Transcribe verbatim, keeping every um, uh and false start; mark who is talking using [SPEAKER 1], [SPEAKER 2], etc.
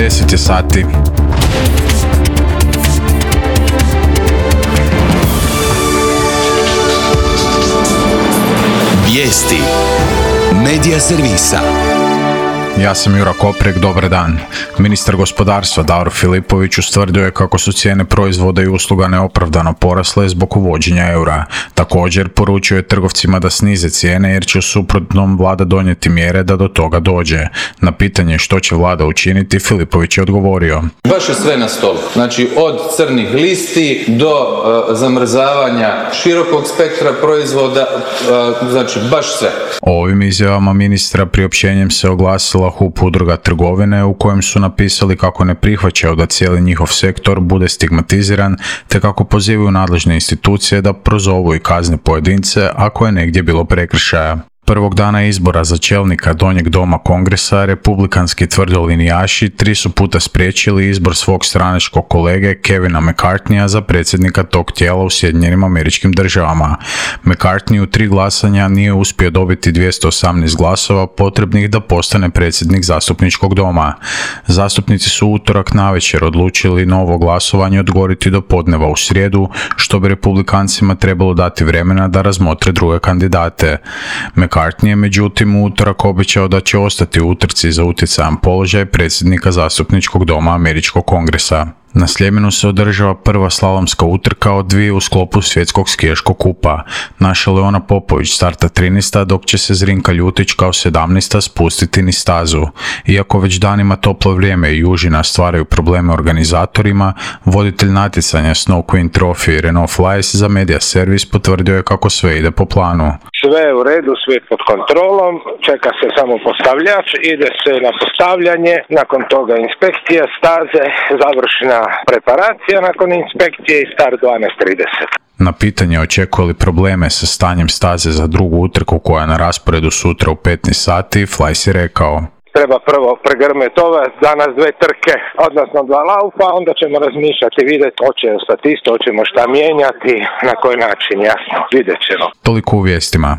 [SPEAKER 1] deset je sati.
[SPEAKER 2] Vijesti Medija servisa.
[SPEAKER 1] Ja sam Jura Koprek, dobar dan. Ministar gospodarstva Davor Filipović ustvrdio je kako su cijene proizvoda i usluga neopravdano porasle zbog uvođenja eura. Također poručio je trgovcima da snize cijene jer će u suprotnom vlada donijeti mjere da do toga dođe. Na pitanje što će vlada učiniti, Filipović je odgovorio:
[SPEAKER 3] Baš je sve na stolu. Znači od crnih listi do uh, zamrzavanja širokog spektra proizvoda, uh, znači baš sve.
[SPEAKER 1] O ovim izjavama ministra priopćenjem se oglasila H U P Udruga trgovine, u kojem su napisali kako ne prihvaćaju da cijeli njihov sektor bude stigmatiziran, te kako pozivaju nadležne institucije da prozovu i kazne pojedince ako je negdje bilo prekršaja. Prvog dana izbora za čelnika Donjeg doma Kongresa, republikanski tvrdolinijaši tri su puta spriječili izbor svog stranačkog kolege Kevina McCartneya za predsjednika tog tijela u Sjedinjenim Američkim Državama. McCartney u tri glasanja nije uspio dobiti dvjesto osamnaest glasova potrebnih da postane predsjednik zastupničkog doma. Zastupnici su u utorak navečer odlučili novo glasovanje odgoditi do podneva u srijedu, što bi republikancima trebalo dati vremena da razmotre druge kandidate. McCartney je međutim u utorak obećao da će ostati u utrci za utjecajan položaj predsjednika zastupničkog doma Američkog kongresa. Na Sljemenu se održava prva slalomska utrka od dvije u sklopu svjetskog skijaškog kupa. Naša Leona Popović starta trinaesta, dok će se Zrinka Ljutić kao sedamnaesta spustiti niz stazu. Iako već danima toplo vrijeme i južina stvaraju probleme organizatorima, voditelj natjecanja Snow Queen Trophy Renault Flies za Media Service potvrdio je kako sve ide po planu.
[SPEAKER 4] Sve je u redu, sve pod kontrolom, čeka se samo postavljač, ide se na postavljanje, nakon toga inspekcija staze, završna preparacija nakon inspekcije i start dvanaest trideset.
[SPEAKER 1] Na pitanje očekuje li probleme sa stanjem staze za drugu utrku koja je na rasporedu sutra u petnaest sati, Flies je rekao:
[SPEAKER 4] Treba prvo pregrmeti ove, danas dve trke, odnosno dva laufa, onda ćemo razmišljati, vidjeti hoće ostati isto, hoćemo šta mijenjati, na koji način, jasno, vidjet ćemo.
[SPEAKER 1] Toliko u vijestima.